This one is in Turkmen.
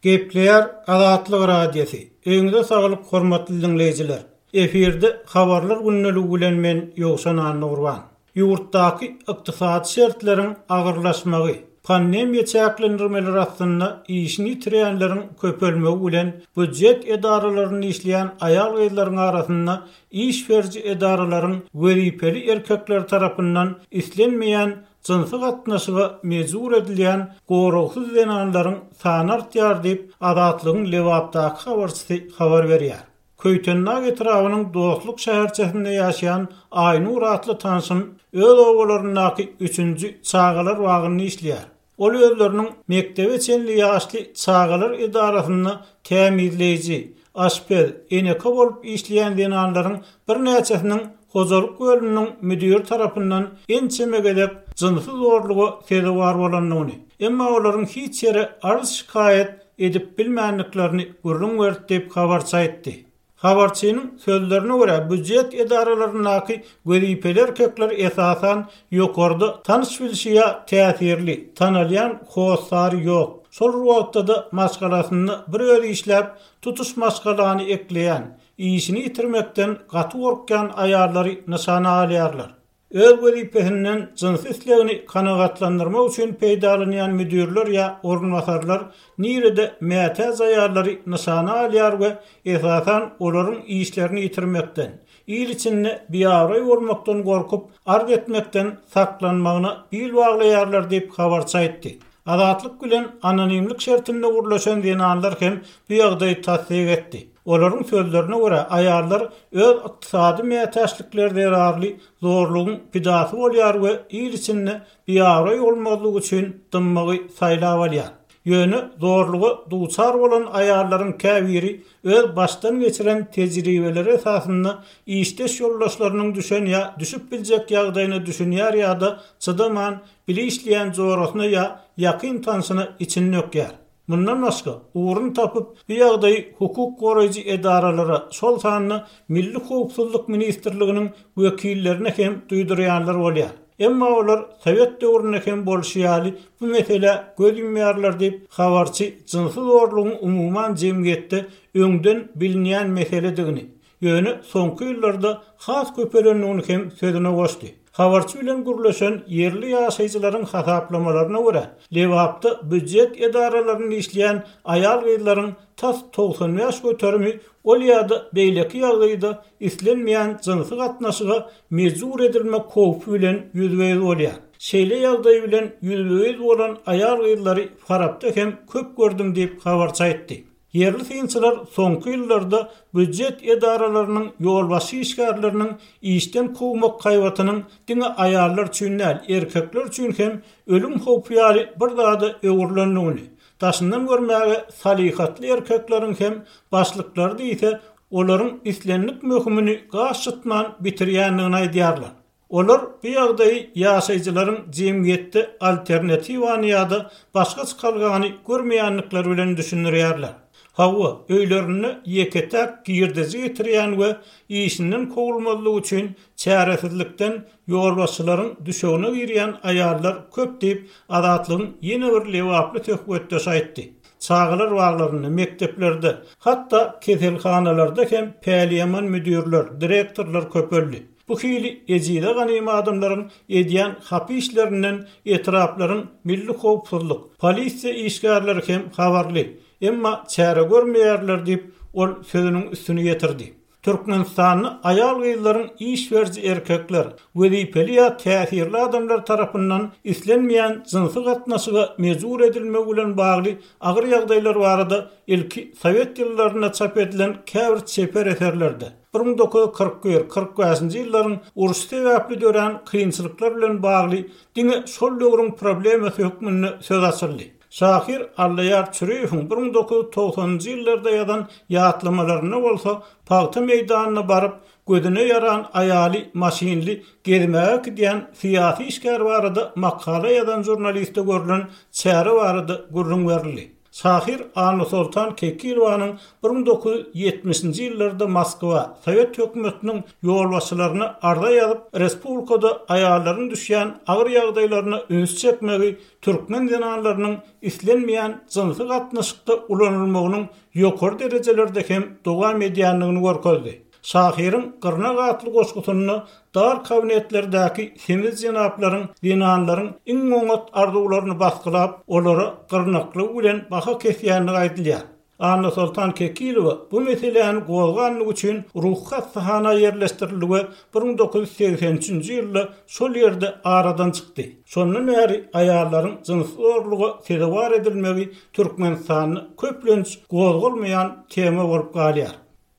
Gepleýär Azatlyk Radiosy, Öýüňize saglyk hormatly diňleýjiler! Efirde Habarlar gündeligi bilen men Ýowşan Annagurban. Ýurtdaky ykdysady şertleriň agyrlaşmagy, pandemiýa çäklendirmeleri astynda işini ýitirýänleriň köpelmegi bilen býujet edaralarynda işleýän aýal-gyzlaryň arasynda iş beriji edaralaryň wezipeli erkekleri tarapyndan islenmeýän jynsy gatnaşyga mejbur edilýän goragsyz zenanlaryň sany artýar diýip, Azatlygyň Lebapdaky habarçysy habar berýär. Köýtendag etrabynyň Dostluk şäherçesinde ýaşaýan Aýnur atly tanşym öz obalaryndaky üçünji çagalar bagynda işleýär. Ol özleriniň mekdebe çenli ýaşly çagalar edarasynda tämizleýji, aşpez, eneke bolup işleýän zenanlaryň birnäçesiniň hojalyk bölüminiň müdiri tarapyndan ençeme gezek jynsy zorluga sezewar bolandygyny, emma olaryň hiç ýere arz-şikaýat edip bilmändiklerini gürrüň berdi diýip, habarçy aýtdy. Habarçynyň sözlerine görä, býujet edaralaryndaky wezipeli erkekler esasan ýokarda tanyş-bilşi ýa täsirli, tanalýan hossary ýok, şol bir wagtda-da maşgalasynda bir özi işläp, tutuş maşgalany ekleýän, işini ýitirmekden gaty gorkýan aýallary nyşana alýarlar. Öz wezipesinden jynsy islegini kanagatlandyrmak üçin peýdalanýan müdirler ýa orunbasarlar nirede mätäç aýallary nyşana alýar we esasan olaryň işlerini ýitirmekden, il içinde biabraý bolmakdan gorkup, arz etmekden saklanmagyna bil baglaýarlar diýip, habarçy aýtdy. Azatlyk bilen anonimlik şertinde gürleşen zenanlar hem bu ýagdaýy tassyk etdi. Olaryň sözlerine görä, aýallar öz ykdysady mätäçlikleri zerarly zorlugyň pidasy bolýar we il içinde biabraý bolmazlyk üçin dymmagy saýlap alýar. Ýöne zorluga duçar bolan aýallaryň käbiri öz başdan geçiren tejribeleri esasynda işdeş ýoldaşlarynyň düşen ýa düşüp biljek ýagdaýyna düşünýär ýa-da çydaman bile işleýän jorasyna ýa ýakyn tanşyna içini dökýär. Mundan başga, ugruny tapyp, bu ýagdaýy hukuk goraýjy edaralara, şol sanda Milli howpsuzlyk ministrliginiň wekillerine hem duýdurýanlar bolýar. Emma olar sowet döwründe hem bolşy ýaly bu meselä göz ýumýarlar diýip, habarçy jynsy zorlugyň umuman jemgyýetde öňden bilinýän meseledigini, Ýöne soňky ýyllarda has köpelendigini hem sözüne goşdy. Habarçy bilen gürleşen ýerli ýaşaýjylaryň hasaplamalaryna görä, Lebapda býujet edaralarynda işleýän aýal-gyzlaryň tas 95 göterimi ol ýa-da beýleki ýagdaýda islenmeýän jynsy gatnaşyga mejbur edilmek howpy bilen ýüzbe-ýüz bolýar. Şeýle ýagdaý bilen ýüzbe-ýüz bolan aýal-gyzlary Farapda hem köp gördüm diýip, habarçy aýtdy. Ýerli synçylar soňky ýyllarda býujet edaralarynyň ýolbaşçy işgärleriniň işden kowmak haýbatynyň diňe aýallar üçin däl, erkekler üçin hem ölüm howpy ýaly bir zada öwrülendigini, daşyndan görmäge salyhatly erkekleriň hem başlyklary diýse, olaryň islendik möhümini gaş çytman bitirýändigini aýdýarlar. Olar bu ýagdaýy ýaşaýjylaryň jemgyýetde alternatiwany ýa-da başga çykalgany görmeýändikleri bilen düşündirýärler. Hawa, öýlerinde ýeke-täk girdeji getirýän we işinden kowulmazlyk üçin çäresizlikden ýolbaşçylaryň düşegine girýän aýallar köp diýip, Azatlygyň ýene bir lebaply söhbetdeşi aýtdy. Çagalar baglarynda, mekdeplerde, hatda keselhanalarda hem päliýaman müdirler, direktorlar köpeldi. Bu hili ejize ganym adamlaryň edýän hapa işlerinden etraplaryň milli howpsuzlyk, polisiýa işgärleri hem habarly, emma çäre görmeýärler diýip, ol sözüniň üstüni ýetirdi. Türkmenistanda aýal-gyzlaryň iş beriji erkekler, wezipeli ýa täsirli adamlar tarapyndan islenmeýän jynsy gatnaşyga mejbur edilmegi bilen bagly agyr ýagdaýlar barada ilki sowet ýyllarynda çap edilen käbir çeper eserlerde, 1941, 45-nji ýyllaryň urşy sebäpli dörän kynçylyklar bilen bagly diňe şol döwrüň problemasy hökmünde söz açyldy. Şahyr Allaýar Çüriýewiň 1990-njy ýyllarda ýazan ýatlamalarynda bolsa pagta meýdanyna baryp, gözüne ýaran aýaly maşynly gezmäge äkidýän syýasy işgär barada makala ýazan žurnaliste görlen çäre barada gürrüň berildi. Şahyr Annasoltan Kekilowanyň 1970-nji ýyllarda Moskwa, sowet hökümetiniň ýolbaşçylaryna arza ýazyp, respublikada aýallaryň düşýän agyr ýagdaýlaryna üns çekmegi türkmen zenanlarynyň islenmeýän jynsy gatnaşykda ulanylmagynyň ýokary derejelerde hem dowam edýändigini görkezdi. Şahyryň Gyrnak atly goşgusynda dar kabinetlerdäki semiz jenaplaryň zenanlaryň iň oňat arzuwlaryny basgylap, olara gyrnaklygy bilen baha kesýändigi aýdylýar. Annasoltan Kekilowa bu meseläni gozganlygy üçin ruhy hassahana ýerleşdirildi we 1983-nji ýylda şol ýerde aradan çykdy. Şondan bäri aýallaryň jynsy zorluga sezewar edilmegi Türkmenistanda köplenç gozgalmaýan tema bolup galýar.